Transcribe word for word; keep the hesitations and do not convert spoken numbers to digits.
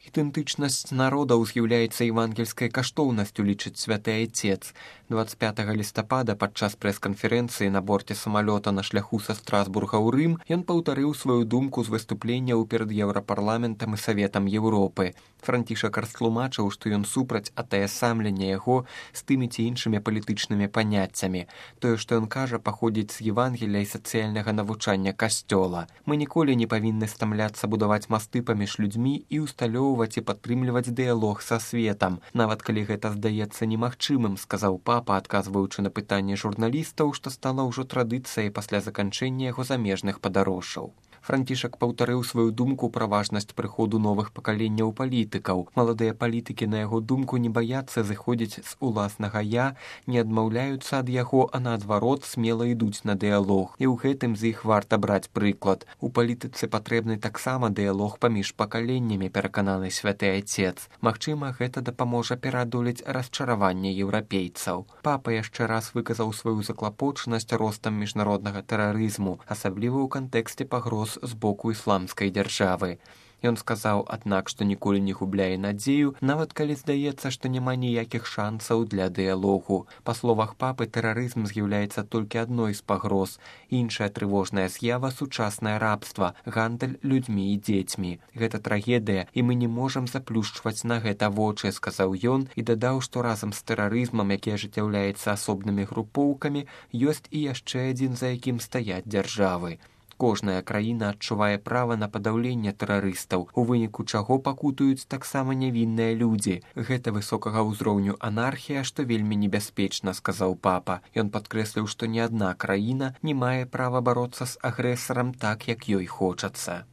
Ідэнтычнасць народаў з'яўляецца евангельскай каштоўнасцю, лічыць святы айцец. двадцать пятага лістапада падчас прэс-канферэнцыі на борце самалёта на шляху са Страсбурга ў Рым ён паўтарыў сваю думку з выступленняў перад Еўрапарламентам і Саветам Еўропы. Францішак растлумачыў, што ён супраць атаясамлення яго з тымі ці іншымі палітычнымі паняццямі. Тое, што ён кажа, паходзіць з Евангелія і сацыяльнага навучання касцёла. Мы ніколі не павінны стамляцца будаваць масты паміж людзьмі і усталёўваць і падтрымліваць дыялог са светам, нават калі гэта здаецца немагчымым, сказаў папа, адказваючы на пытанне журналістаў, што стала ўжо традыцыяй пасля заканчэння яго замежных падарожжаў. Францішак паўтарыў сваю думку пра важнасць прыходу новых пакаленняў палітыкаў. Маладыя палітыкі, на яго думку, не баяцца зыходзіць з уласнага «я», не адмаўляюцца ад яго, а наадварот смела ідуць на дыялог. І ў гэтым з іх варта браць прыклад. У палітыцы патрэбны таксама дыялог паміж пакаленнямі, перакананы святы айцец. Магчыма, гэта дапаможа пераадолець расчараванне еўрапейцаў. Папа яшчэ раз выказаў сваю заклапочанасць ростам міжнароднага тэрарызму, асабліва ў кантэксце пагроз з боку ісламскай дзяржавы. Ён сказаў, аднак, што ніколі не губляе надзею, нават калі здаецца, што няма ніякіх шансаў для дыялогу. Па словах папы, тэрарызм з'яўляецца толькі адной з пагроз. Іншая трывожная з'ява — сучаснае рабства, гандаль людзьмі і дзецьмі. Гэта трагедыя, і мы не можам заплюшчваць на гэта вочы, сказаў ён і дадаў, што разам з тэрарызмам, які ажыццяўляецца асобнымі групоўкамі, ёсць і яшчэ адзін, за якім стаяць дзяржавы. Кожная краіна адчувае права на падаўленне тэрарыстаў, у выніку чаго пакутуюць таксама нявінныя людзі. Гэта высокага ўзроўню анархія, што вельмі небяспечна, сказаў папа. Ён падкрэсліў, што ні адна краіна не мае права бароцца з агрэсарам так, як ёй хочацца.